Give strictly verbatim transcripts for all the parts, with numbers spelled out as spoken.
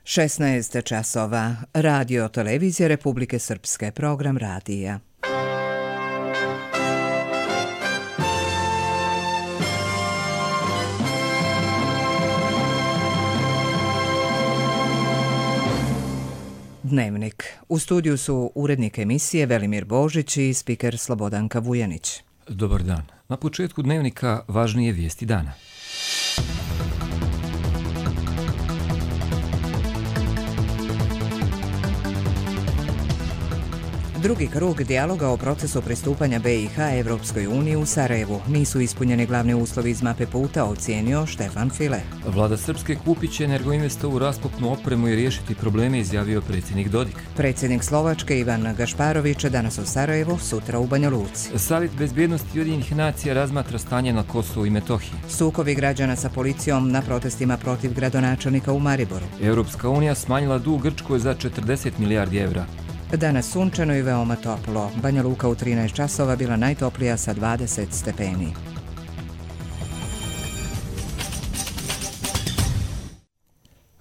šesnaest časova. Radio Televizija Republike Srpske. Program radija. Dnevnik. U studiju su urednik emisije Velimir Božić i spiker Slobodanka Vujanić. Dobar dan. Na početku dnevnika važnije vijesti dana. Drugi krug dijaloga o procesu pristupanja B i H Evropskoj uniji u Sarajevu. Nisu ispunjeni glavni uslovi iz mape puta, ocijenio Štefan File. Vlada Srpske kupit će Energoinvestovu raskopnu opremu i riješiti probleme, izjavio predsjednik Dodik. Predsjednik Slovačke Ivan Gašparović danas u Sarajevu, sutra u Banja Luci. Savjet bezbjednosti Ujedinjenih nacija razmatra stanje na Kosovu i Metohiji. Sukobi građana sa policijom na protestima protiv gradonačelnika u Mariboru. Europska unija smanjila dug Grčkoj za četrdeset milijardi evra. Danas sunčano i veoma toplo. Banja Luka u trinaest časova bila najtoplija sa dvadeset stepeni.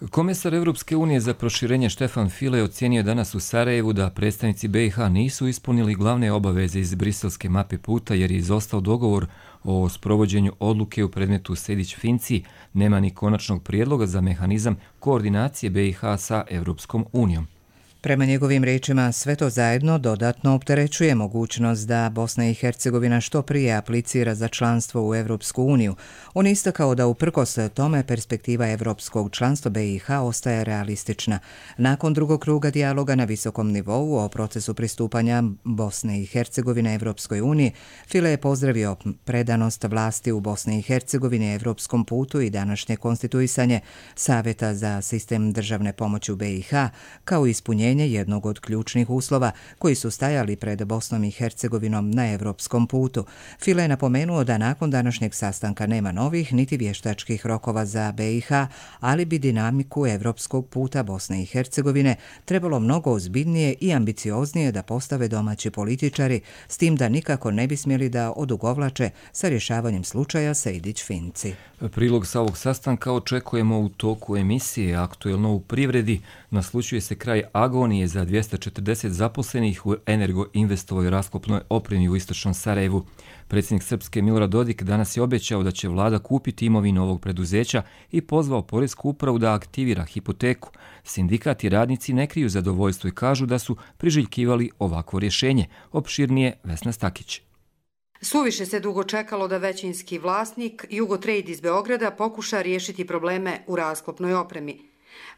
Komesar Europske unije za proširenje Štefan File ocjenio danas u Sarajevu da predstavnici B i H nisu ispunili glavne obaveze iz briselske mape puta jer je izostao dogovor o sprovođenju odluke u predmetu Sejdić-Finci, nema ni konačnog prijedloga za mehanizam koordinacije B i H sa Europskom unijom. Prema njegovim riječima, sve to zajedno dodatno opterećuje mogućnost da Bosna i Hercegovina što prije aplicira za članstvo u Evropsku uniju. On istakao da uprkos tome perspektiva evropskog članstva B i H ostaje realistična. Nakon drugog kruga dijaloga na visokom nivou o procesu pristupanja Bosne i Hercegovine Evropskoj uniji, File je pozdravio predanost vlasti u Bosni i Hercegovini Evropskom putu i današnje konstituisanje Savjeta za sistem državne pomoći u B i H kao ispunjenje jednog od ključnih uslova koji su stajali pred Bosnom i Hercegovinom na evropskom putu. File je napomenuo da nakon današnjeg sastanka nema novih niti vještačkih rokova za B i H, ali bi dinamiku evropskog puta Bosne i Hercegovine trebalo mnogo ozbiljnije i ambicioznije da postave domaći političari, s tim da nikako ne bi smjeli da odugovlače sa rješavanjem slučaja Sejdić-Finci. Prilog sa ovog sastanka očekujemo u toku emisije Aktuelno u privredi. Naslučuje se kraj agonije za dvjesto četrdeset zaposlenih u Energoinvestovoj raskopnoj opremi u istočnom Sarajevu. Predsjednik Srpske Milorad Dodik danas je obećao da će vlada kupiti imovinu ovog preduzeća i pozvao poresku upravu da aktivira hipoteku. Sindikat i radnici ne kriju zadovoljstvo i kažu da su priželjkivali ovakvo rješenje. Opširnije Vesna Stakić. Suviše se dugo čekalo da većinski vlasnik Jugotrade iz Beograda pokuša riješiti probleme u raskopnoj opremi.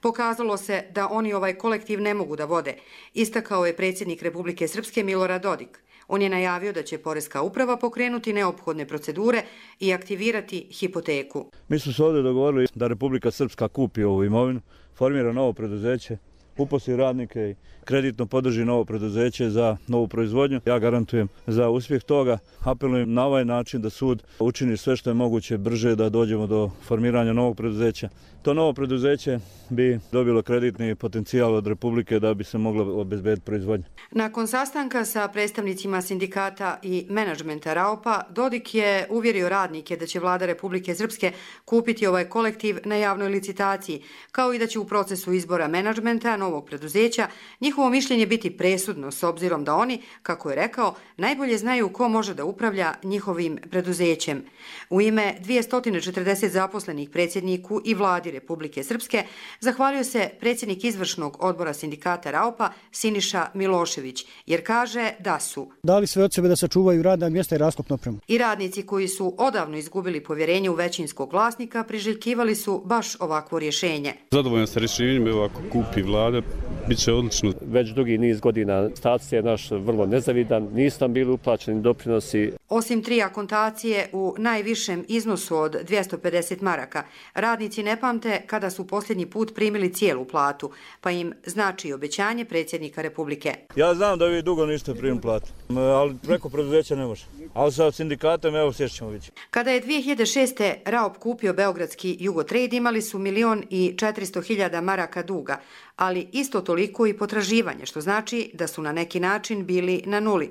Pokazalo se da oni ovaj kolektiv ne mogu da vode, istakao je predsjednik Republike Srpske Milorad Dodik. On je najavio da će poreska uprava pokrenuti neophodne procedure i aktivirati hipoteku. Mi smo se ovdje dogovorili da Republika Srpska kupi ovu imovinu, formira novo preduzeće, uposli radnike i kreditno podrži novo preduzeće za novu proizvodnju. Ja garantujem za uspjeh toga. Apelujem na ovaj način da sud učini sve što je moguće brže da dođemo do formiranja novog preduzeća. To novo preduzeće bi dobilo kreditni potencijal od Republike da bi se mogla obezbediti proizvodnja. Nakon sastanka sa predstavnicima sindikata i menadžmenta Raopa, Dodik je uvjerio radnike da će vlada Republike Srpske kupiti ovaj kolektiv na javnoj licitaciji, kao i da će u procesu izbora menadžmenta novog preduzeća njihovo mišljenje biti presudno s obzirom da oni, kako je rekao, najbolje znaju ko može da upravlja njihovim preduzećem. U ime dvjesto četrdeset zaposlenih predsjedniku i vladi Republike Srpske zahvalio se predsjednik izvršnog odbora sindikata Raopa Siniša Milošević, jer kaže da su dali sve od sebe da sačuvaju radna mjesta i raskopnu opremu. I radnici koji su odavno izgubili povjerenje u većinskog vlasnika priželjkivali su baš ovakvo rješenje. Zadovoljan sa rješenjem, evo ako kupi vlada, bit će odlično. Već dugi niz godina status je naš vrlo nezavidan, nisu nam bili uplaćeni doprinosi. Osim tri akontacije u najvišem iznosu od dvjesto pedeset maraka, radnici ne pamte kada su posljednji put primili cijelu platu, pa im znači obećanje predsjednika Republike. Ja znam da vi dugo niste primili platu, ali preko preduzeća ne može. Ali sa sindikatom, evo, sješće ćemo vidjeti. Kada je dvije hiljade šeste. Raop kupio beogradski Jugotrade, imali su milion i četiristo hiljada maraka duga, ali isto toliko toliko i potraživanje, što znači da su na neki način bili na nuli.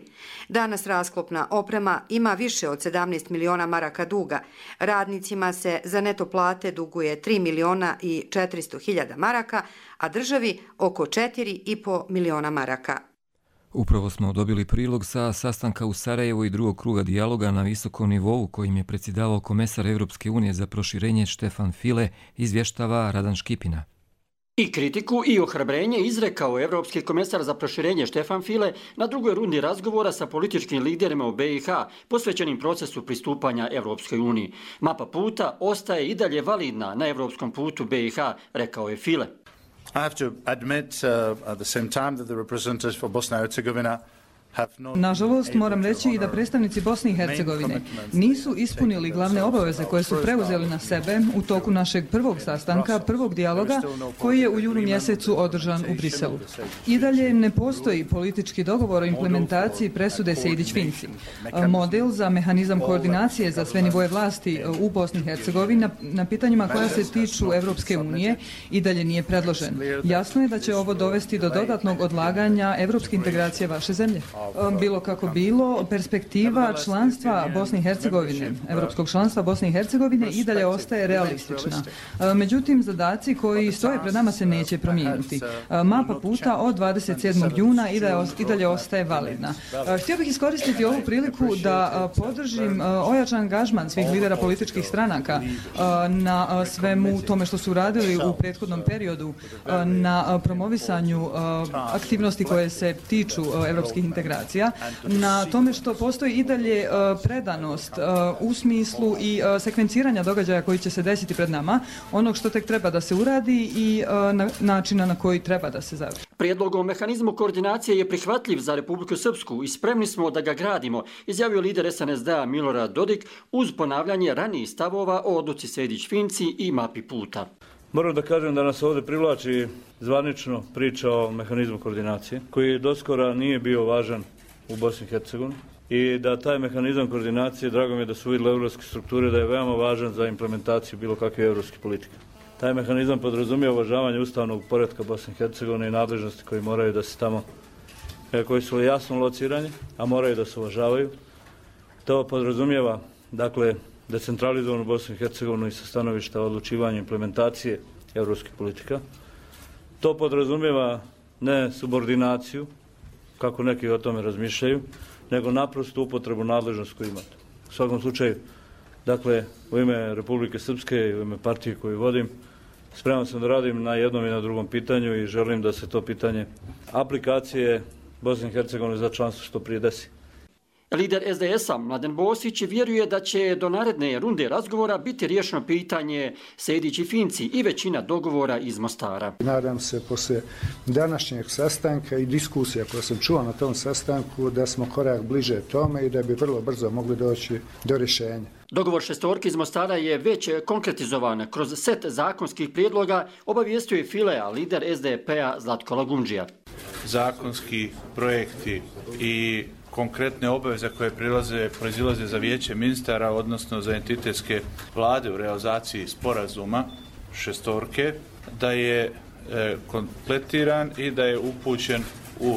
Danas rasklopna oprema ima više od sedamnaest miliona maraka duga. Radnicima se za neto plate duguje tri miliona i četiristo hiljada maraka, a državi oko četiri i po miliona maraka. Upravo smo dobili prilog sa sastanka u Sarajevu i drugog kruga dijaloga na visokom nivou kojim je predsjedavao komesar Evropske unije za proširenje Štefan File, izvještava Radan Škipina. I kritiku i ohrabrenje izrekao evropski komesar za proširenje Štefan File na drugoj rundi razgovora sa političkim liderima u B i H posvećenim procesu pristupanja Evropskoj uniji. Mapa puta ostaje i dalje validna na evropskom putu B i H, rekao je File. I have to admit uh, at the same time that the representatives for Bosnia and Herzegovina Nažalost, moram reći i da predstavnici Bosne i Hercegovine nisu ispunili glavne obaveze koje su preuzeli na sebe u toku našeg prvog sastanka, prvog dijaloga, koji je u junu mjesecu održan u Briselu. I dalje ne postoji politički dogovor o implementaciji presude Sejdić-Finci. Model za mehanizam koordinacije za sve nivoje vlasti u Bosni i Hercegovini na pitanjima koja se tiču Evropske unije i dalje nije predložen. Jasno je da će ovo dovesti do dodatnog odlaganja evropske integracije vaše zemlje. Bilo kako bilo, perspektiva članstva Bosne i Hercegovine, evropskog članstva Bosne i Hercegovine i dalje ostaje realistična. Međutim, zadaci koji stoje pred nama se neće promijeniti. Mapa puta od dvadeset sedmog juna i dalje ostaje validna. Htio bih iskoristiti ovu priliku da podržim ojačan angažman svih lidera političkih stranaka na svemu tome što su radili u prethodnom periodu, na promovisanju aktivnosti koje se tiču evropskih integracija, na tome što postoji i dalje predanost u smislu i sekvenciranja događaja koji će se desiti pred nama, onog što tek treba da se uradi i načina na koji treba da se završi. Prijedlog o mehanizmu koordinacije je prihvatljiv za Republiku Srpsku i spremni smo da ga gradimo, izjavio lider S N S D-a Milorad Dodik uz ponavljanje ranijih stavova o odluci Sejdić-Finci i mapi puta. Moram da kažem da nas ovdje privlači zvanično priča o mehanizmu koordinacije, koji doskora nije bio važan u Bosni i Hercegovini i da taj mehanizam koordinacije, drago mi je da su vidjeli evropske strukture, da je veoma važan za implementaciju bilo kakve evropske politike. Taj mehanizam podrazumije uvažavanje ustavnog poretka Bosne i Hercegovine i nadležnosti koji moraju da se tamo, koji su jasno locirani, a moraju da se uvažavaju. To podrazumijeva, dakle, decentralizovanu Bosnu i Hercegovinu i sa stanovišta odlučivanja implementacije evropskih politika. To podrazumijeva ne subordinaciju, kako neki o tome razmišljaju, nego naprosto upotrebu nadležnosti koju imate. U svakom slučaju, dakle, u ime Republike Srpske i u ime partije koju vodim, spreman sam da radim na jednom i na drugom pitanju i želim da se to pitanje aplikacije Bosne i Hercegovine za članstvo što prije desi. Lider S D S-a Mladen Bosić vjeruje da će do naredne runde razgovora biti riješeno pitanje Sejdić i Finci i većina dogovora iz Mostara. Nadam se poslije današnjeg sastanka i diskusija koje sam čuo na tom sastanku da smo korak bliže tome i da bi vrlo brzo mogli doći do rješenja. Dogovor šestorki iz Mostara je već konkretizovan kroz set zakonskih prijedloga, obavijestio je File, a lider S D P-a Zlatko Lagundžija. Zakonski projekti i konkretne obaveze koje prilaze, proizilaze za vijeće ministara, odnosno za entitetske vlade u realizaciji sporazuma šestorke, da je e, kompletiran i da je upućen u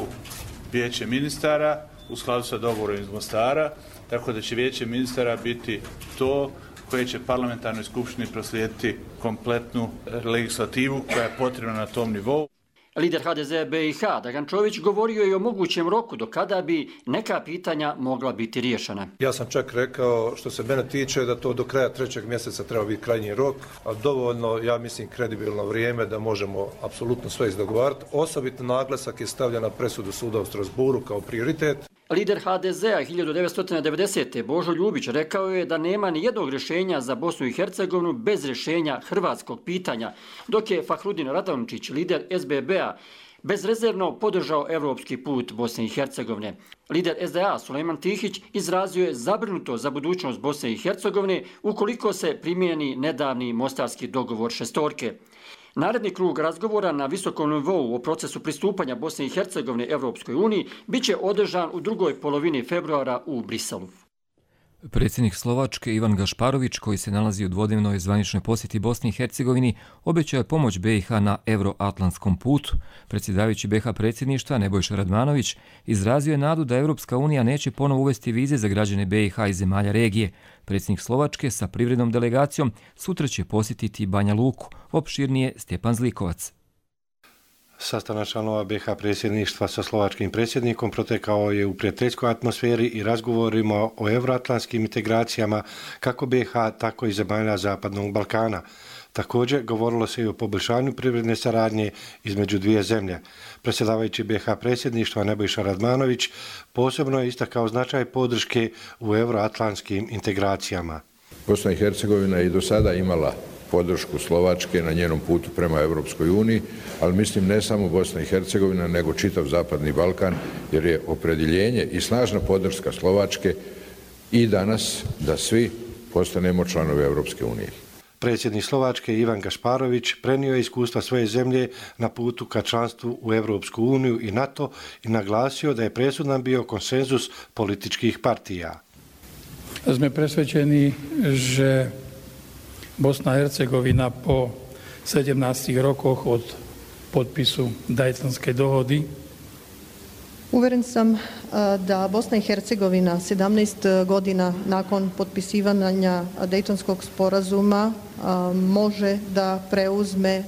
vijeće ministara u skladu sa dogovorom iz Mostara, tako da će vijeće ministara biti to koje će parlamentarnoj skupštini proslijediti kompletnu legislativu koja je potrebna na tom nivou. Lider H D Z B i H Dragan Čović govorio je o mogućem roku do kada bi neka pitanja mogla biti riješena. Ja sam čak rekao što se mene tiče da to do kraja trećeg mjeseca treba biti krajnji rok, a dovoljno, ja mislim, kredibilno vrijeme da možemo apsolutno sve izdogovarati. Osobito naglasak je stavljen na presudu suda u Strasburu kao prioritet. Lider H D Z-a hiljadu devetsto devedesete. Božo Ljubić rekao je da nema ni jednog rješenja za Bosnu i Hercegovinu bez rješenja hrvatskog pitanja, dok je Fahrudin Radončić, lider S B B-a, bezrezervno podržao evropski put Bosne i Hercegovine. Lider S D A Sulejman Tihić izrazio je zabrinuto za budućnost Bosne i Hercegovine ukoliko se primijeni nedavni mostarski dogovor šestorke. Naredni krug razgovora na visokom nivou o procesu pristupanja Bosne i Hercegovine Evropskoj uniji biće održan u drugoj polovini februara u Briselu. Predsjednik Slovačke Ivan Gašparović, koji se nalazi u dvodnevnoj zvaničnoj posjeti Bosni i Hercegovini, obećao je pomoć B i H na euroatlantskom putu. Predsjedavajući B i H predsjedništva Nebojša Radmanović izrazio je nadu da Europska unija neće ponovo uvesti vize za građane B i H iz zemalja regije. Predsjednik Slovačke sa privrednom delegacijom sutra će posjetiti Banja Luku. Opširnije Stjepan Zlikovac. Sastanak članova B i H predsjedništva sa slovačkim predsjednikom protekao je u prijateljskoj atmosferi i razgovorima o euroatlantskim integracijama kako B i H, tako i zemalja Zapadnog Balkana. Također govorilo se i o poboljšanju privredne saradnje između dvije zemlje. Predsjedavajući B i H predsjedništva Nebojša Radmanović posebno je istakao značaj podrške u euroatlantskim integracijama. Bosna i Hercegovina je i do sada imala podršku Slovačke na njenom putu prema Europskoj uniji, ali mislim ne samo Bosna i Hercegovina, nego čitav Zapadni Balkan, jer je opredjeljenje i snažna podrška Slovačke i danas da svi postanemo članovi Europske unije. Predsjednik Slovačke Ivan Gašparović prenio je iskustva svoje zemlje na putu ka članstvu u Europsku uniju i NATO i naglasio da je presudan bio konsenzus političkih partija. Sme presvedčení, že Bosna i Hercegovina po sedemnaestih rokoch od potpisu Daytonske dohody. Uveren sam da Bosna i Hercegovina sedamnaest godina nakon potpisivanja Daytonskog sporazuma može da preuzme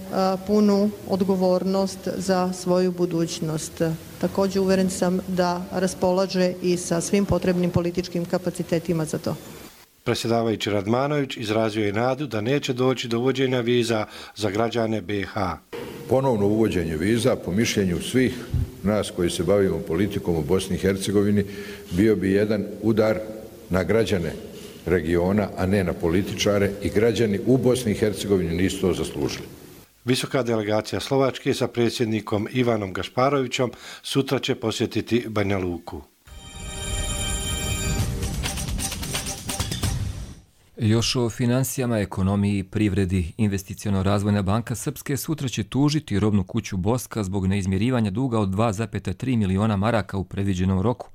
punu odgovornost za svoju budućnost. Također uveren sam da raspolaže i sa svim potrebnim političkim kapacitetima za to. Predsjedavajući Radmanović izrazio je nadu da neće doći do uvođenja viza za građane B i H. Ponovno uvođenje viza, po mišljenju svih nas koji se bavimo politikom u Bosni i Hercegovini, bio bi jedan udar na građane regiona, a ne na političare, i građani u Bosni i Hercegovini nisu to zaslužili. Visoka delegacija Slovačke sa predsjednikom Ivanom Gašparovićom sutra će posjetiti Banja Luku. Još o financijama, ekonomiji, privredi. Investiciono-razvojna banka Srpske sutra će tužiti robnu kuću Boska zbog neizmjerivanja duga od dva zarez tri miliona maraka u predviđenom roku.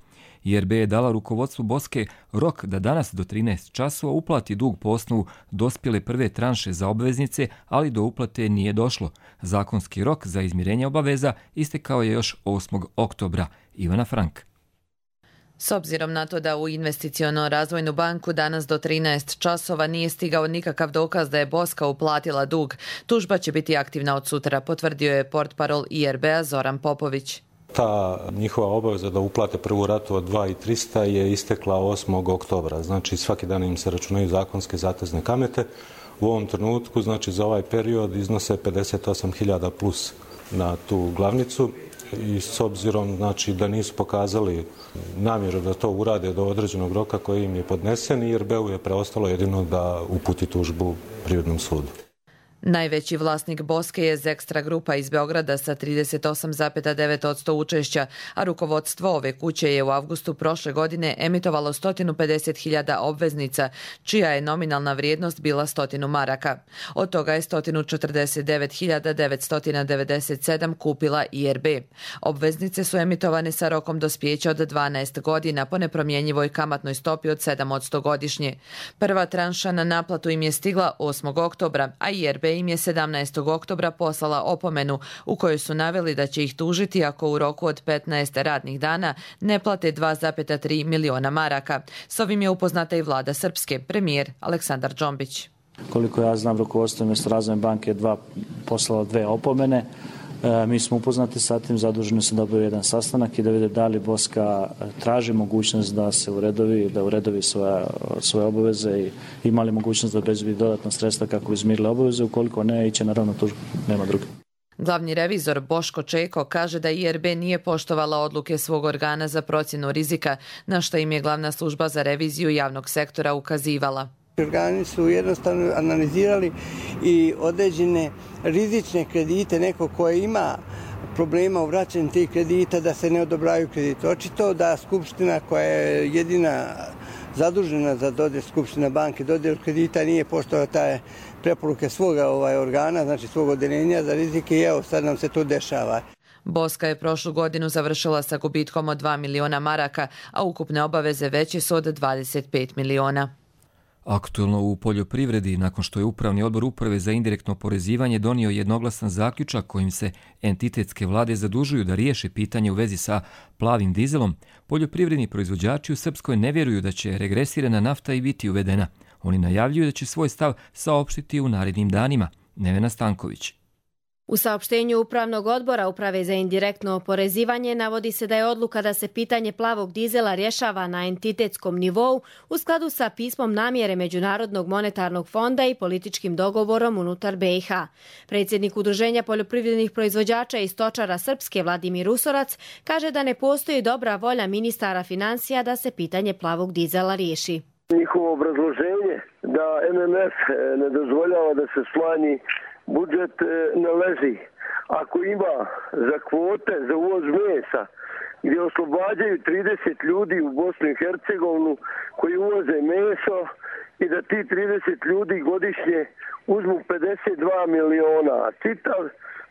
I R B je dala rukovodstvu Boske rok da danas do trinaest časova uplati dug po osnovu dospjele prve tranše za obveznice, ali do uplate nije došlo. Zakonski rok za izmirenje obaveza istekao je još osmog oktobra. Ivana Frank. S obzirom na to da u Investiciono-razvojnu banku danas do trinaest časova nije stigao nikakav dokaz da je Boska uplatila dug, tužba će biti aktivna od sutra, potvrdio je portparol I R B-a Zoran Popović. Ta njihova obaveza da uplate prvu ratu od dva hiljade trista je istekla osmog oktobra. Znači svaki dan im se računaju zakonske zatezne kamate. U ovom trenutku, znači za ovaj period iznose pedeset osam hiljada plus na tu glavnicu. I s obzirom znači, da nisu pokazali namjeru da to urade do određenog roka koji im je podnesen, I R B-u je preostalo jedino da uputi tužbu Privrednom sudu. Najveći vlasnik Boske je Zekstra grupa iz Beograda sa trideset osam zarez devet posto učešća, a rukovodstvo ove kuće je u avgustu prošle godine emitovalo sto pedeset hiljada obveznica, čija je nominalna vrijednost bila sto maraka. Od toga je sto četrdeset devet hiljada devetsto devedeset sedam kupila I R B. Obveznice su emitovane sa rokom dospijeća od dvanaest godina po nepromjenjivoj kamatnoj stopi od sedam posto godišnje. Prva tranša na naplatu im je stigla osmog oktobra, a I R B im je sedamnaestog oktobra poslala opomenu u kojoj su naveli da će ih tužiti ako u roku od petnaest radnih dana ne plate dva zarez tri miliona maraka. S ovim je upoznata i vlada Srpske, premijer Aleksandar Džombić. Koliko ja znam, rukovodstvo Investiciono-razvojne banke je dva poslalo dve opomene. E, mi smo upoznati sa tim, zaduženi su da obave jedan sastanak i da vide da li Boska traži mogućnost da se uredovi, da uredovi svoje, svoje obaveze i ima li mogućnost da obezbedi dodatna sredstva kako bi izmirile obaveze, ukoliko ne, iće naravno tužbu, nema druge. Glavni revizor Boško Čeko kaže da I R B nije poštovala odluke svog organa za procjenu rizika, na što im je glavna služba za reviziju javnog sektora ukazivala. Organi su jednostavno analizirali i određene rizične kredite, neko koje ima problema u vraćanju tih kredita, da se ne odobravaju kredite. Očito da Skupština, koja je jedina zadužena za dodjel, Skupština banke dodjel kredita, nije poštovala taj preporuke svoga ovaj organa, znači svog odeljenja za rizike, i evo sad nam se to dešava. Boska je prošlu godinu završila sa gubitkom od dva miliona maraka, a ukupne obaveze veće su od dvadeset pet miliona. Aktuelno u poljoprivredi, nakon što je Upravni odbor Uprave za indirektno oporezivanje donio jednoglasan zaključak kojim se entitetske vlade zadužuju da riješe pitanje u vezi sa plavim dizelom, poljoprivredni proizvođači u Srpskoj ne vjeruju da će regresirana nafta i biti uvedena. Oni najavljuju da će svoj stav saopštiti u narednim danima. Nevena Stanković. U saopštenju Upravnog odbora Uprave za indirektno oporezivanje navodi se da je odluka da se pitanje plavog dizela rješava na entitetskom nivou u skladu sa pismom namjere Međunarodnog monetarnog fonda i političkim dogovorom unutar B i H. Predsjednik Udruženja poljoprivrednih proizvođača i stočara Srpske Vladimir Usorac kaže da ne postoji dobra volja ministara financija da se pitanje plavog dizela riješi. Njihovo obrazloženje da M M F ne dozvoljava da se smanji budžet ne leži. Ako ima za kvote za uvoz mesa gdje oslobađaju trideset ljudi u Bosnu i Hercegovinu koji uvoze meso i da ti trideset ljudi godišnje uzmu pedeset dva miliona, a čitav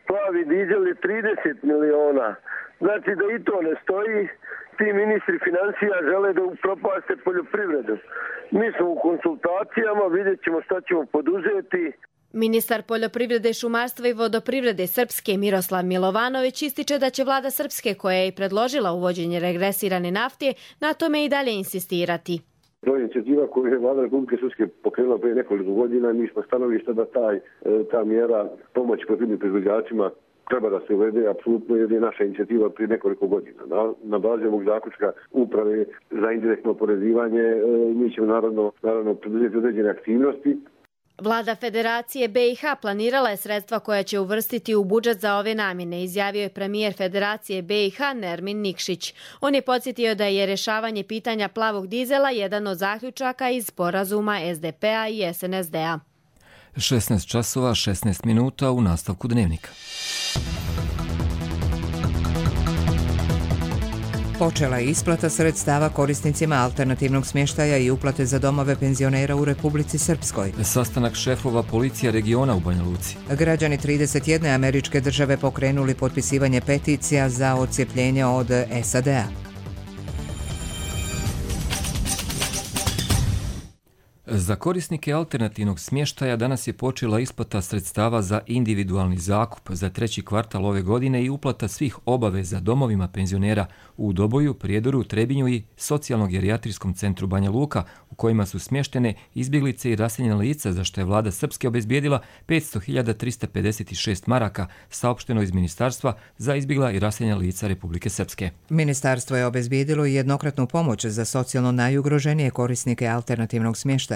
plavi dizel je trideset miliona. Znači da i to ne stoji, ti ministri financija žele da upropaste poljoprivredu. Mi smo u konsultacijama, vidjet ćemo šta ćemo poduzeti. Ministar poljoprivrede, šumarstva i vodoprivrede Srpske Miroslav Milovanović ističe da će vlada Srpske, koja je i predložila uvođenje regresirane nafte, na tome i dalje insistirati. To je inicijativa koju je vlada Republike Srpske pokrenula prije nekoliko godina. Mi smo stanovišta da taj, ta mjera pomoći poljoprivrednim proizvođačima treba da se uvede, apsolutno jer je naša inicijativa prije nekoliko godina. Na, na bazi ovog zaključka Uprave za indirektno oporezivanje mi ćemo naravno, naravno preduzeti određene aktivnosti. Vlada Federacije B i H planirala je sredstva koja će uvrstiti u budžet za ove namjene, izjavio je premijer Federacije B i H Nermin Nikšić. On je podsjetio da je rješavanje pitanja plavog dizela jedan od zaključaka iz sporazuma S D P-a i S N S D-a. šesnaest časova, šesnaest minuta u nastavku dnevnika. Počela je isplata sredstava korisnicima alternativnog smještaja i uplate za domove penzionera u Republici Srpskoj. Sastanak šefova policija regiona u Banja Luci. Građani trideset jedne američke države pokrenuli potpisivanje peticija za odcijepljenje od S A D-a. Za korisnike alternativnog smještaja danas je počela isplata sredstava za individualni zakup za treći kvartal ove godine i uplata svih obaveza domovima penzionera u Doboju, Prijedoru, Trebinju i socijalno-gerijatrijskom centru Banja Luka, u kojima su smještene izbjeglice i raseljena lica, za što je vlada Srpske obezbijedila petsto hiljada trista pedeset šest maraka, saopšteno iz Ministarstva za izbjegla i raseljena lica Republike Srpske. Ministarstvo je obezbijedilo jednokratnu pomoć za socijalno najugroženije korisnike alternativnog smještaja.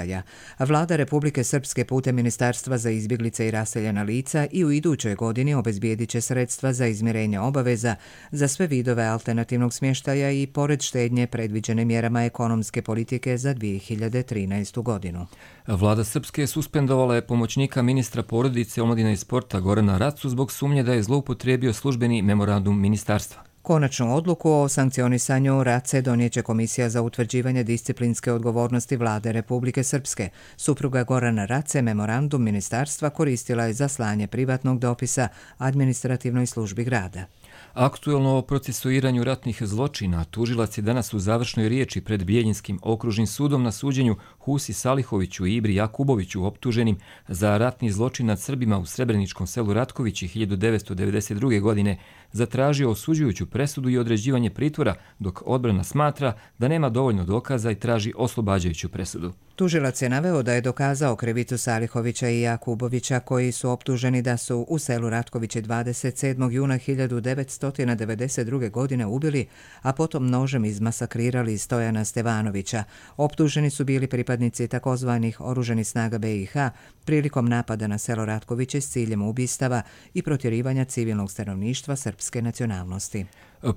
Vlada Republike Srpske putem Ministarstva za izbjeglice i raseljena lica i u idućoj godini obezbijedit će sredstva za izmirenje obaveza za sve vidove alternativnog smještaja i pored štednje predviđene mjerama ekonomske politike za dvije hiljade trinaestu godinu. Vlada Srpske suspendovala je pomoćnika ministra porodice, omladine i sporta Gorana Racu zbog sumnje da je zloupotrijebio službeni memorandum ministarstva. Konačnu odluku o sankcionisanju Race donijeće Komisija za utvrđivanje disciplinske odgovornosti Vlade Republike Srpske. Supruga Gorana Race memorandum ministarstva koristila je za slanje privatnog dopisa administrativnoj službi grada. Aktuelno o procesuiranju ratnih zločina tužilac je danas u završnoj riječi pred Bijeljinskim okružnim sudom na suđenju Husi Salihoviću i Ibri Jakuboviću optuženim za ratni zločin nad Srbima u Srebreničkom selu Ratkovići hiljadu devetsto devedeset druge. godine zatražio osuđujuću presudu i određivanje pritvora, dok odbrana smatra da nema dovoljno dokaza i traži oslobađajuću presudu. Tužilac je naveo da je dokazao krivicu Salihovića i Jakubovića, koji su optuženi da su u selu Ratkovići dvadeset sedmog juna hiljadu devetsto devedeset druge. godine ubili, a potom nožem izmasakrirali Stojana Stevanovića. Optuženi su bili pripadnici takozvanih oruženih snaga B i H prilikom napada na selo Ratkoviće s ciljem ubistava i protjerivanja civilnog stanovništva srpske nacionalnosti.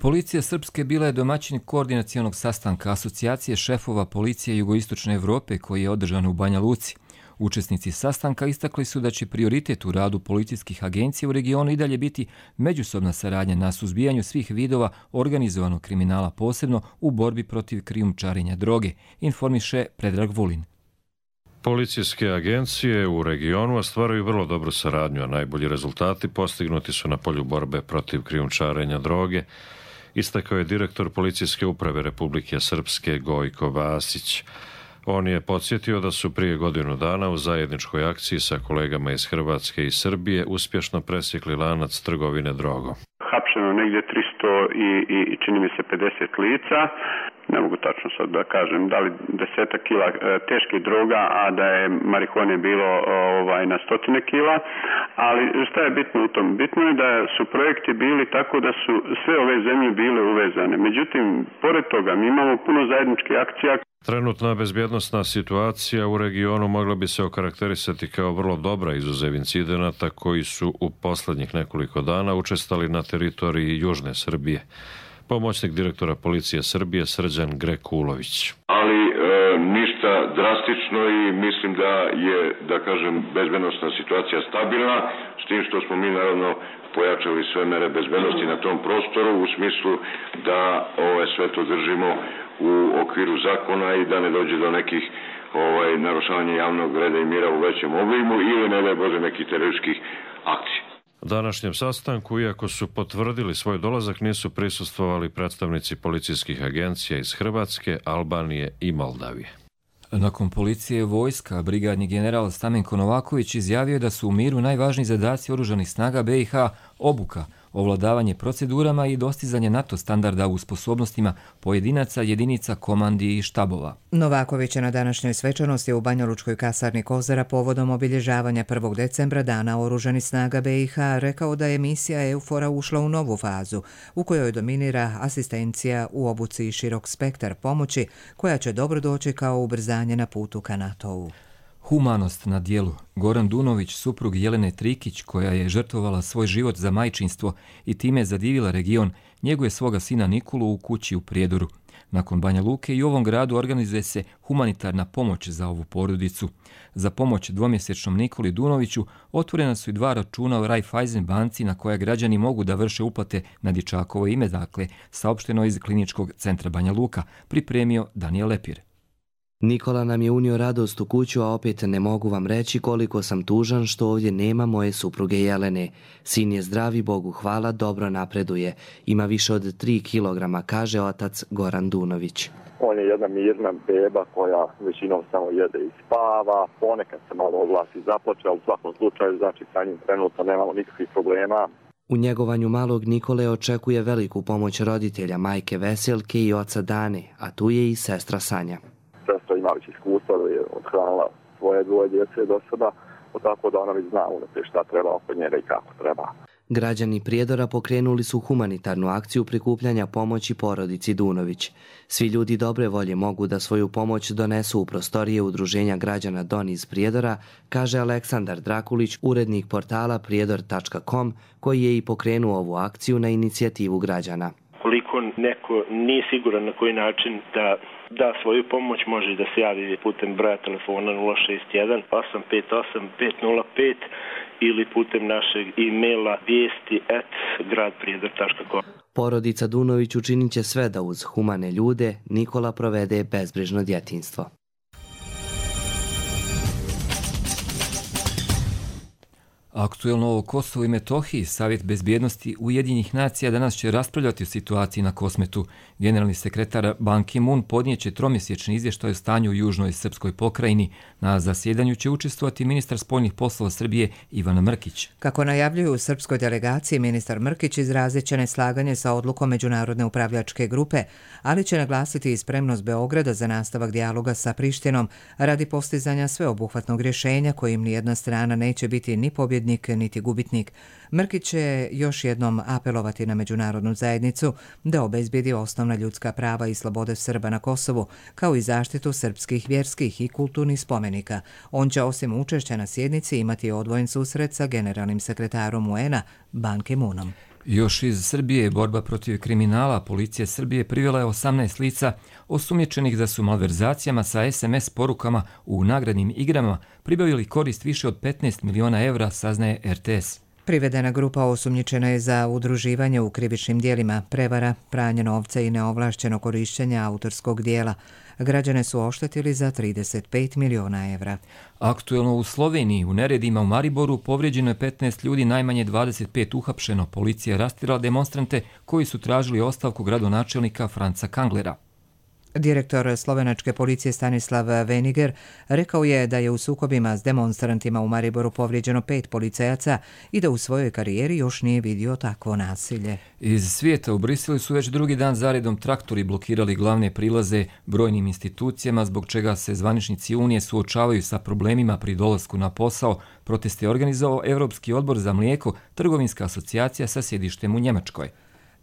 Policija Srpske bila je domaćin koordinacionog sastanka Asocijacije šefova policije Jugoistočne Evrope koji je održan u Banja Luci. Učesnici sastanka istakli su da će prioritet u radu policijskih agencija u regionu i dalje biti međusobna saradnja na suzbijanju svih vidova organizovanog kriminala, posebno u borbi protiv krijumčarenja droge, informiše Predrag Vulin. Policijske agencije u regionu ostvaruju vrlo dobru saradnju, a najbolji rezultati postignuti su na polju borbe protiv krijumčarenja droge, istakao je direktor Policijske uprave Republike Srpske Gojko Vasić. On je podsjetio da su prije godinu dana u zajedničkoj akciji sa kolegama iz Hrvatske i Srbije uspješno presjekli lanac trgovine drogom. Hapšeno negdje tristo i, i čini mi se pedeset lica. Ne mogu tačno sad da kažem da li desetak kila e, teških droga, a da je marihuane bilo ovaj, na stotine kila. Ali šta je bitno u tom? Bitno je da su projekti bili tako da su sve ove zemlje bile uvezane. Međutim, pored toga mi imamo puno zajedničkih akcija. Trenutna bezbjednosna situacija u regionu mogla bi se okarakterisati kao vrlo dobra izuzev incidenata koji su u posljednjih nekoliko dana učestali na teritoriji Južne Srbije. Pomoćnik direktora Policije Srbije Srđan Grekulović. Ali e, ništa drastično i mislim da je, da kažem, bezbednosna situacija stabilna, s tim što smo mi naravno pojačali sve mere bezbednosti na tom prostoru u smislu da ove sve to držimo u okviru zakona i da ne dođe do nekih ovaj, narušavanja javnog reda i mira u većem oblimu ili ne daj Bože nekih terorističkih akcija. Današnjem sastanku, iako su potvrdili svoj dolazak, nisu prisustvovali predstavnici policijskih agencija iz Hrvatske, Albanije i Moldavije. Nakon policije vojska, brigadni general Stamenko Novaković izjavio da su u miru najvažniji zadaci oružanih snaga B i H obuka, ovladavanje procedurama i dostizanje NATO standarda u sposobnostima pojedinaca, jedinica, komandi i štabova. Novaković je na današnjoj svečanosti u Banjalučkoj kasarni Kozara povodom obilježavanja prvog decembra Dana oružanih snaga B i H rekao da je misija EUFOR-a ušla u novu fazu u kojoj dominira asistencija u obuci i širok spektar pomoći koja će dobro doći kao ubrzanje na putu ka NATO-u. Humanost na dijelu. Goran Dunović, suprug Jelene Trikić, koja je žrtvovala svoj život za majčinstvo i time zadivila region, njeguje svoga sina Nikolu u kući u Prijedoru. Nakon Banja Luke i u ovom gradu organizuje se humanitarna pomoć za ovu porodicu. Za pomoć dvomjesečnom Nikoli Dunoviću otvorena su i dva računa u Raiffeisen banci na koja građani mogu da vrše uplate na dječakovo ime, dakle, saopšteno iz Kliničkog centra Banja Luka, pripremio Daniel Lepir. Nikola nam je unio radost u kuću, a opet ne mogu vam reći koliko sam tužan što ovdje nema moje supruge Jelene. Sin je zdravi, Bogu hvala, dobro napreduje. Ima više od tri kilograma, kaže otac Goran Dunović. On je jedna mirna beba koja većinom samo jede i spava. Ponekad se malo oglasi i zaplače, ali u svakom slučaju, znači sa njim trenutno nemamo nikakvih problema. U njegovanju malog Nikole očekuje veliku pomoć roditelja, majke Veselke i oca Dane, a tu je i sestra Sanja. Sestra ima već iskustva da je odhranila svoje dvoje djece do sada, tako da ona već zna unaprijed šta treba oko njega i kako treba. Građani Prijedora pokrenuli su humanitarnu akciju prikupljanja pomoći porodici Dunović. Svi ljudi dobre volje mogu da svoju pomoć donesu u prostorije Udruženja građana Don iz Prijedora, kaže Aleksandar Drakulić, urednik portala prijedor tačka com, koji je i pokrenuo ovu akciju na inicijativu građana. Koliko neko nije siguran na koji način da da svoju pomoć, može da se javi putem broja telefona nula šest jedan osam pet osam pet nula pet ili putem našeg e-maila vijesti at grad prijedor tačka com. Porodica Dunović učinit će sve da uz humane ljude Nikola provede bezbrižno djetinjstvo. Aktuelno o Kosovu i Metohiji, Savjet bezbjednosti Ujedinjenih nacija danas će raspravljati o situaciji na Kosmetu. Generalni sekretar Ban Ki-moon podnijeće tromjesečni izvještaj o stanju u južnoj srpskoj pokrajini. Na zasjedanju će učestvovati ministar spoljnih poslova Srbije Ivan Mrkić. Kako najavljuju u srpskoj delegaciji, ministar Mrkić izrazit će neslaganje sa odlukom Međunarodne upravljačke grupe, ali će naglasiti i spremnost Beograda za nastavak dijaloga sa Prištinom radi postizanja sveobuhvatnog rješenja kojim nijedna strana neće biti ni pobjednik niti gubitnik. Mrkić će još jednom apelovati na međunarodnu zajednicu da obezbijedi osnovna ljudska prava i slobode Srba na Kosovu, kao i zaštitu srpskih vjerskih i kulturnih spomenika. On će osim učešća na sjednici imati odvojen susret sa generalnim sekretarom U N-a Ban Ki-moonom. Još iz Srbije, borba protiv kriminala, policija Srbije privela je osamnaest lica osumnjičenih da su malverzacijama sa es em es porukama u nagradnim igrama pribavili korist više od petnaest miliona evra, saznaje er te es. Privedena grupa osumnjičena je za udruživanje u krivičnim dijelima, prevara, pranje novca i neovlašćeno korištenje autorskog dijela. Građane su oštetili za trideset pet miliona evra. Aktuelno u Sloveniji, u neredima u Mariboru, povrijeđeno je petnaest ljudi, najmanje dvadeset pet uhapšeno. Policija je rastirala demonstrante koji su tražili ostavku gradonačelnika Franca Kanglera. Direktor slovenačke policije Stanislav Veniger rekao je da je u sukobima s demonstrantima u Mariboru povrijeđeno pet policajaca i da u svojoj karijeri još nije vidio takvo nasilje. Iz svijeta u Briselu su već drugi dan zaredom traktori blokirali glavne prilaze brojnim institucijama, zbog čega se zvaničnici Unije suočavaju sa problemima pri dolasku na posao. Protest je organizovao Europski odbor za mlijeko, trgovinska asocijacija sa sjedištem u Njemačkoj.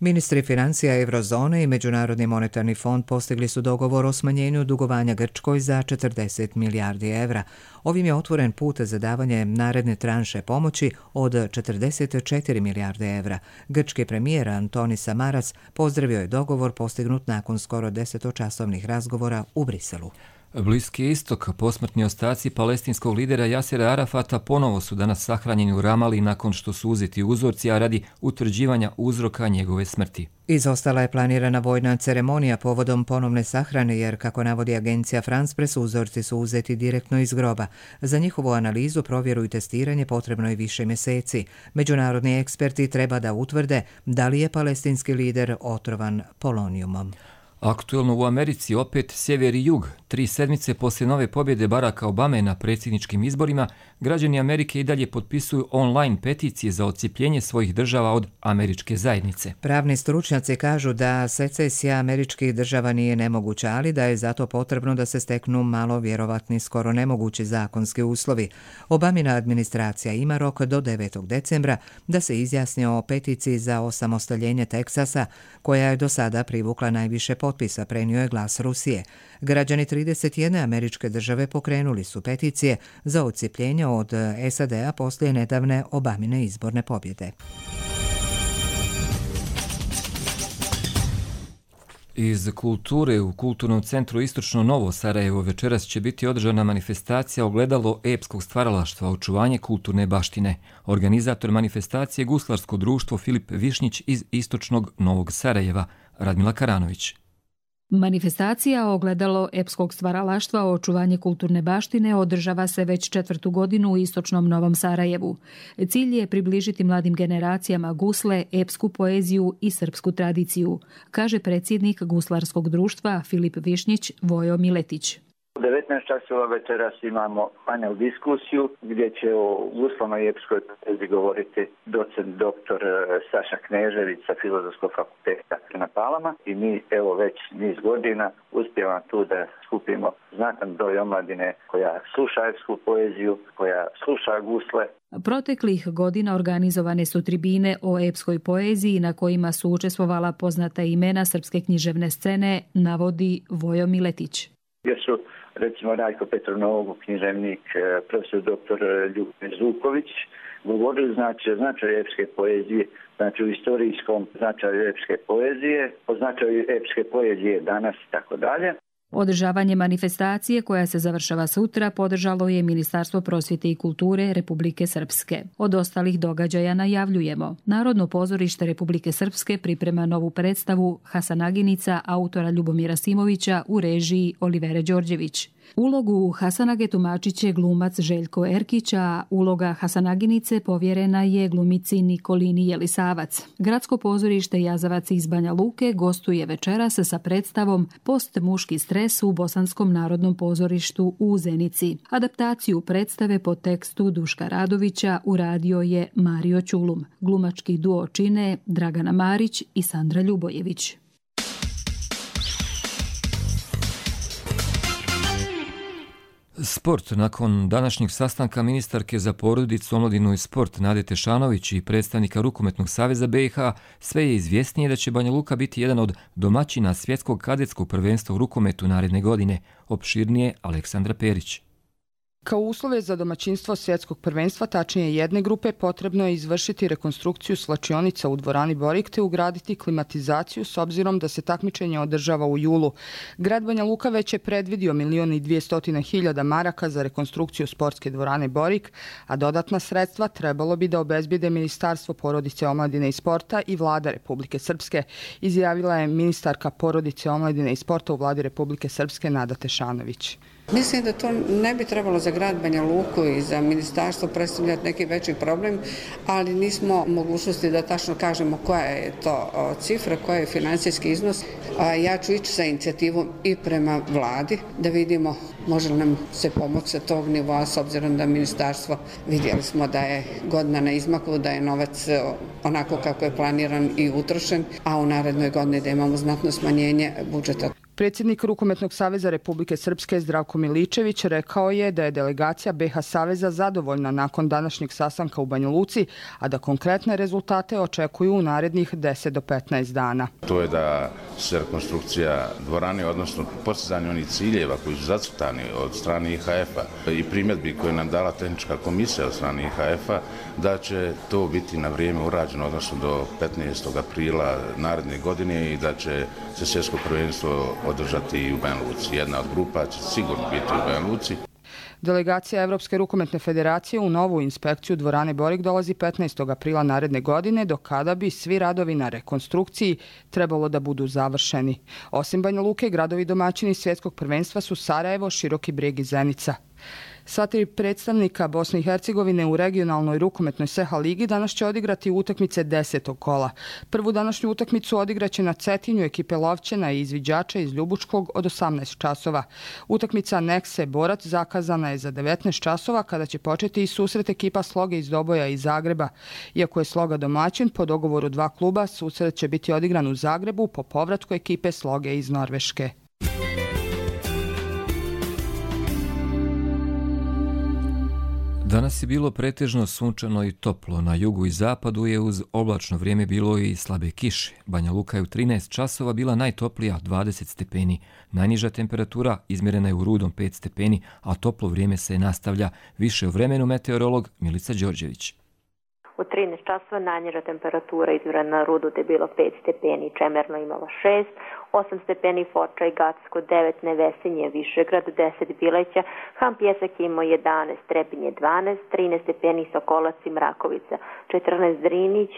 Ministri financija Eurozone i Međunarodni monetarni fond postigli su dogovor o smanjenju dugovanja Grčkoj za četrdeset milijardi evra. Ovim je otvoren put za davanje naredne tranše pomoći od četrdeset četiri milijarde evra. Grčki premijer Antonis Samaras pozdravio je dogovor postignut nakon skoro desetočasovnih razgovora u Briselu. Bliski istok, posmrtni ostaci palestinskog lidera Jasera Arafata ponovo su danas sahranjeni u Ramali nakon što su uzeti uzorci, a radi utvrđivanja uzroka njegove smrti. Izostala je planirana vojna ceremonija povodom ponovne sahrane jer, kako navodi agencija France Press, uzorci su uzeti direktno iz groba. Za njihovu analizu, provjeru i testiranje potrebno je više mjeseci. Međunarodni eksperti treba da utvrde da li je palestinski lider otrovan polonijumom. Aktuelno u Americi opet sjever i jug. Tri sedmice poslije nove pobjede Baracka Obame na predsjedničkim izborima, građani Amerike i dalje potpisuju online peticije za odcijepljenje svojih država od američke zajednice. Pravni stručnjaci kažu da secesija američkih država nije nemoguća, ali da je zato potrebno da se steknu malo vjerovatni, skoro nemogući zakonski uslovi. Obamina administracija ima rok do devetog decembra da se izjasni o peticiji za osamostaljenje Teksasa, koja je do sada privukla najviše potpisa, prenio je Glas Rusije. Građani trideset jedne američke države pokrenuli su peticije za odcijepljenje od S A D-a poslije nedavne Obamine izborne pobjede. Iz kulture u Kulturnom centru Istočno Novo Sarajevo večeras će biti održana manifestacija Ogledalo epskog stvaralaštva, očuvanje kulturne baštine. Organizator manifestacije Guslarsko društvo Filip Višnjić iz Istočnog Novog Sarajeva, Radmila Karanović. Manifestacija Ogledalo epskog stvaralaštva o očuvanje kulturne baštine održava se već četvrtu godinu u Istočnom Novom Sarajevu. Cilj je približiti mladim generacijama gusle, epsku poeziju i srpsku tradiciju, kaže predsjednik Guslarskog društva Filip Višnjić Vojo Miletić. U devetnaest časova večeras imamo panel diskusiju gdje će o guslama i epskoj poeziji govoriti docent doktor Saša Knežević sa Filozofskog fakulteta na Palama i mi evo već niz godina uspijemo tu da skupimo znatan broj omladine koja sluša epsku poeziju, koja sluša gusle. Proteklih godina organizovane su tribine o epskoj poeziji na kojima su učestvovala poznata imena srpske književne scene, navodi Vojo Miletić. Gdje su recimo Rajko Petronogu, književnik, profesor doktor Ljubomir Zuković, govorili znači o značaju epske poezije, znači u istorijskom značaju epske poezije, o značaju epske poezije danas i tako dalje. Održavanje manifestacije koja se završava sutra podržalo je Ministarstvo prosvjete i kulture Republike Srpske. Od ostalih događaja najavljujemo. Narodno pozorište Republike Srpske priprema novu predstavu Hasanaginica autora Ljubomira Simovića u režiji Olivere Đorđević. Ulogu Hasanage tumačit će glumac Željko Erkić, a uloga Hasanaginice povjerena je glumici Nikolini Jelisavac. Gradsko pozorište Jazavac iz Banja Luke gostuje večeras sa predstavom Post muški stres u Bosanskom narodnom pozorištu u Zenici. Adaptaciju predstave po tekstu Duška Radovića uradio je Mario Ćulum. Glumački duo čine Dragana Marić i Sandra Ljubojević. Sport. Nakon današnjeg sastanka ministarke za porodicu, omladinu i sport Nade Tešanović i predstavnika Rukometnog saveza B i H, sve je izvjesnije da će Banja Luka biti jedan od domaćina svjetskog kadetskog prvenstva u rukometu naredne godine. Opširnije Aleksandra Perić. Kao uslove za domaćinstvo svjetskog prvenstva, tačnije jedne grupe, potrebno je izvršiti rekonstrukciju svlačionica u dvorani Borik te ugraditi klimatizaciju s obzirom da se takmičenje održava u julu. Grad Banja Luka već je predvidio milion i dvjestotina hiljada maraka za rekonstrukciju sportske dvorane Borik, a dodatna sredstva trebalo bi da obezbijede Ministarstvo porodice, omladine i sporta i Vlada Republike Srpske, izjavila je ministarka porodice, omladine i sporta u Vladi Republike Srpske Nada Tešanović. Mislim da to ne bi trebalo za grad Banja Luku i za ministarstvo predstavljati neki veći problem, ali nismo u mogućnosti da tačno kažemo koja je to cifra, koja je financijski iznos. Ja ću ići sa inicijativom i prema vladi da vidimo može li nam se pomoći sa tog nivoa, s obzirom da ministarstvo, vidjeli smo da je godina na izmaku, da je novac onako kako je planiran i utrošen, a u narednoj godini da imamo znatno smanjenje budžeta. Predsjednik Rukometnog saveza Republike Srpske Zdravko Miličević rekao je da je delegacija B H saveza zadovoljna nakon današnjeg sastanka u Banja Luci, a da konkretne rezultate očekuju u narednih deset do petnaest dana. To je da se rekonstrukcija dvorane, odnosno postizanje onih ciljeva koji su zacrtani od strane I H F-a i primjedbi koje nam dala tehnička komisija od strane I H F-a, da će to biti na vrijeme urađeno, odnosno do petnaestog aprila naredne godine i da će se svjetsko prvenstvo održati i u Banja Luci. Jedna od grupa će sigurno biti u Banja Luci. Delegacija Evropske rukometne federacije u novu inspekciju dvorane Borik dolazi petnaestog aprila naredne godine, do kada bi svi radovi na rekonstrukciji trebalo da budu završeni. Osim Banja Luke, gradovi domaćini svjetskog prvenstva su Sarajevo, Široki Brijeg i Zenica. Sva tri predstavnika Bosne i Hercegovine u regionalnoj rukometnoj S E H A ligi danas će odigrati utakmice desetog kola. Prvu današnju utakmicu odigraće na Cetinju ekipe Lovćena i izviđača iz Ljubučkog od osamnaest časova. Utakmica Nekse Borac zakazana je za devetnaest časova kada će početi i susret ekipa Sloge iz Doboja i Zagreba. Iako je Sloga domaćin, po dogovoru dva kluba susret će biti odigran u Zagrebu po povratku ekipe Sloge iz Norveške. Danas je bilo pretežno sunčano i toplo. Na jugu i zapadu je uz oblačno vrijeme bilo i slabe kiše. Banja Luka je u trinaest časova bila najtoplija, dvadeset stepeni. Najniža temperatura izmjerena je u Rudom pet stepeni, a toplo vrijeme se nastavlja. Više o vremenu meteorolog Milica Đorđević. U trinaest časova najniža temperatura izmjerena na Rudu je bilo pet stepeni, Čemerno imalo šest, osam stepeni Foča i Gacko, devet Nevesinje, Višegrad, deset Bileća, Han Pjesak imao jedanaest, Trebinje dvanaest, trinaest stepeni Sokolac i Mrakovica, četrnaest Drinić,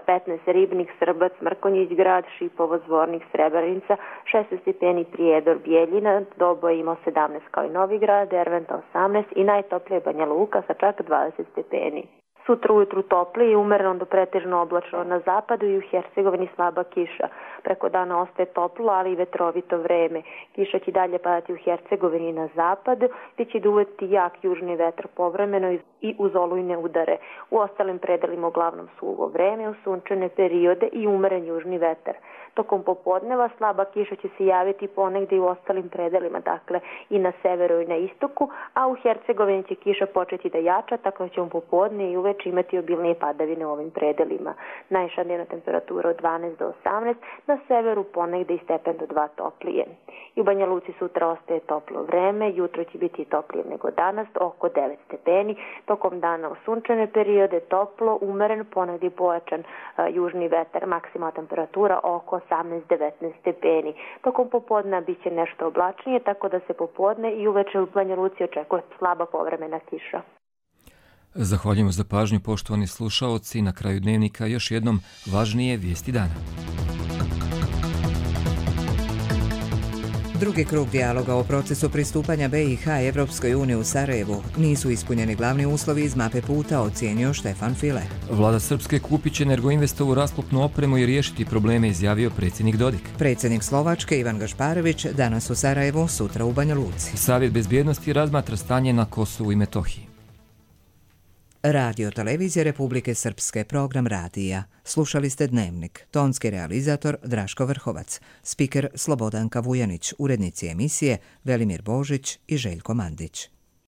petnaest Ribnik, Srbac, Mrkonjić grad, Šipovo, Zvornik, Srebrenica, šesnaest stepeni Prijedor, Bijeljina, Doboj imao sedamnaest kao i Novi Grad, Derventa osamnaest i najtoplije Banja Luka sa čak dvadeset stepeni. Sutra ujutru topli i umereno do pretežno oblačno na zapadu i u Hercegovini slaba kiša. Preko dana ostaje toplo, ali i vetrovito vreme. Kiša će dalje padati u Hercegovini i na zapadu, gdje će duvati jak južni vetar povremeno i uz olujne udare. U ostalim predelima uglavnom suvo vreme, u sunčane periode i umeren južni vetar. Tokom popodneva slaba kiša će se javiti ponegdje i u ostalim predelima, dakle i na severu i na istoku, a u Hercegovini će kiša početi da jača, tako da ćemo popodne i uveče imati obilnije padavine u ovim predelima. Najviša dnevna temperatura od dvanaest do osamnaest, na severu ponegdje i stepen do dva toplije. I u Banja Luci sutra ostaje toplo vreme, jutro će biti toplije nego danas, oko devet stepeni, tokom dana u sunčane periode toplo, umeren, ponegdje pojačan uh, južni vetar, maksimalna temperatura oko osamnaest do devetnaest stepeni. Tokom popodna bit će nešto oblačnije, tako da se popodne i uveče u Banja Luci očekuje slaba povremena kiša. Zahvaljujemo za pažnju, poštovani slušaoci. Na kraju dnevnika još jednom važnije vijesti dana. Drugi krug dijaloga o procesu pristupanja B i H Evropskoj uniji u Sarajevu. Nisu ispunjeni glavni uslovi iz mape puta, ocijenio Štefan File. Vlada Srpske kupit će Energoinvestovu rasklopnu opremu i riješiti probleme, izjavio predsjednik Dodik. Predsjednik Slovačke Ivan Gašparović danas u Sarajevu, sutra u Banja Luci. Savjet bezbjednosti razmatra stanje na Kosovu i Metohiji. Radio Televizije Republike Srpske, program radija. Slušali ste Dnevnik. Tonski realizator Draško Vrhovac. Spiker Slobodanka Vujanić. Urednici emisije Velimir Božić i Željko Mandić.